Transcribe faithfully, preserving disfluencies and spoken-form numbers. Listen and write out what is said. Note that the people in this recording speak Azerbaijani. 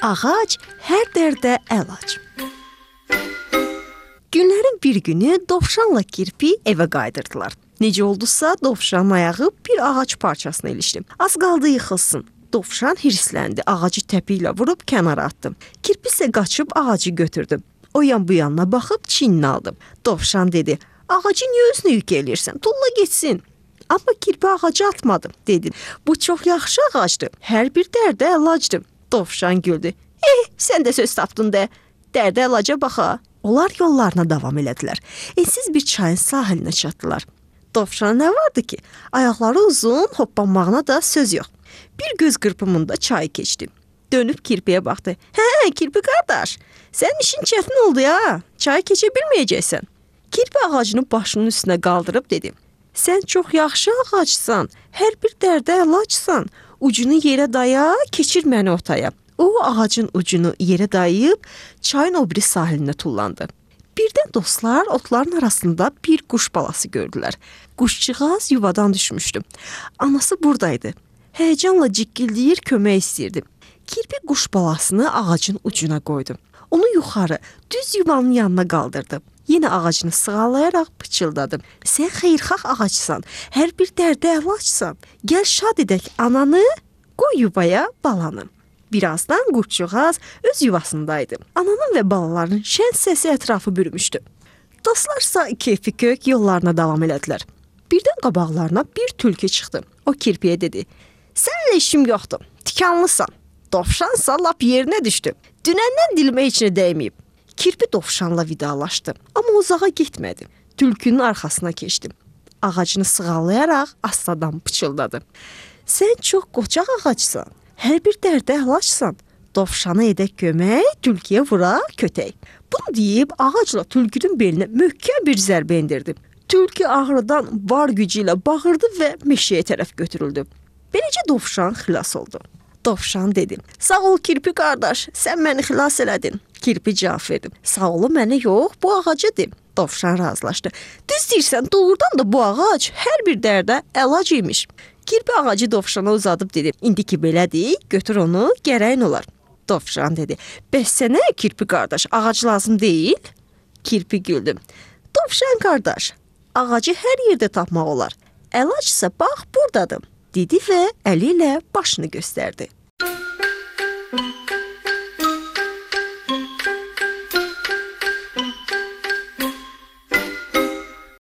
Ağac hər dərdə əlac. Günlərin bir günü Dovşanla Kirpi evə qayıdırdılar. Necə oldusa, Dovşanın ayağı bir ağac parçasına ilişdi. Az qaldı yıxılsın. Dovşan hirsləndi, ağacı təpi ilə vurub kənara atdı. Kirpi isə qaçıb ağacı götürdü. O yan bu yanına baxıb çiynini aldı. Dovşan dedi, ağacı niyə özünə yük eləyirsən? Tulla getsin. Amma Kirpi ağacı atmadı, dedi. Bu çox yaxşı ağacdır, hər bir dərdə əlacdır. Dovşan güldü. Eh, sən də söz tapdın də. Dərdə əlaca baxa. Onlar yollarına davam elədilər. Ensiz bir çayın sahilinə çatdılar. Dovşan nə vardı ki? Ayaqları uzun, hoppanmağına da söz yox. Bir göz qırpımında çayı keçdi. Dönüb Kirpiyə baxdı. Hə, Kirpi qardaş, sənin işin çətin oldu ya. Çayı keçə bilməyəcəksən. Kirpi ağacını başının üstünə qaldırıb dedi. Sən çox yaxşı ağacsan, hər bir dərdə əlacsan. Ucunu yerə daya, keçir məni otaya. O ağacın ucunu yerə dayayıb çayın o biri sahilinə tullandı. Birdən dostlar otların arasında bir quş balası gördülər. Quşçuğaz yuvadan düşmüşdü. Anası buradaydı. Həyəcanla cikkildəyir, kömək istəyirdi. Kirpi quş balasını ağacın ucuna qoydu. Onu yuxarı, düz yuvanın yanına qaldırdı. Yenə ağacını sığallayaraq pıçıldadı. Sən xeyirxah ağacsan, hər bir dərdə əlacsan. Gəl şad edək ananı, qoy yuvaya balanı. Birazdan quşçuğaz öz yuvasındaydı. Ananın və balaların şən səsi ətrafı bürümüşdü. Dostlarsa keyfi kök yollarına davam elədilər. Birdən qabaqlarına bir tülkü çıxdı. O Kirpiyə dedi, səninlə işim yoxdur, tikanlısan. Dovşansa lap yerinə düşdü. Dünəndən dilimə içinə dəyməyib. Kirpi Dovşanla vidalaşdı, amma uzağa getmədi. Tülkünün arxasına keçdi. Ağacını sığallayaraq astadan pıçıldadı. Sən çox qocaq ağacsan, hər bir dərdə əlacsan. Dovşana edək kömək, tülküyə vura kötək. Bunu deyib ağacla tülkünün belinə möhkəm bir zərbə endirdi. Tülkü ağrıdan var gücü ilə bağırdı və meşəyə tərəf götürüldü. Beləcə Dovşan xilas oldu. Dovşan dedi, sağ ol Kirpi qardaş, sən məni xilas elədin. Kirpi cavab verdi, sağ olu mənə yox, bu ağaca de. Dovşan razılaşdı. Düz deyirsən, doğrudan da bu ağac hər bir dərdə əlac imiş. Kirpi ağacı Dovşana uzadıb dedi, indi ki belədir, götür onu, gərəyin olar. Dovşan dedi, bəs sənə Kirpi qardaş, ağac lazım deyil? Kirpi güldü. Dovşan qardaş, ağacı hər yerdə tapmaq olar. Əlacsa bax buradadır, dedi və əli ilə başını göstərdi.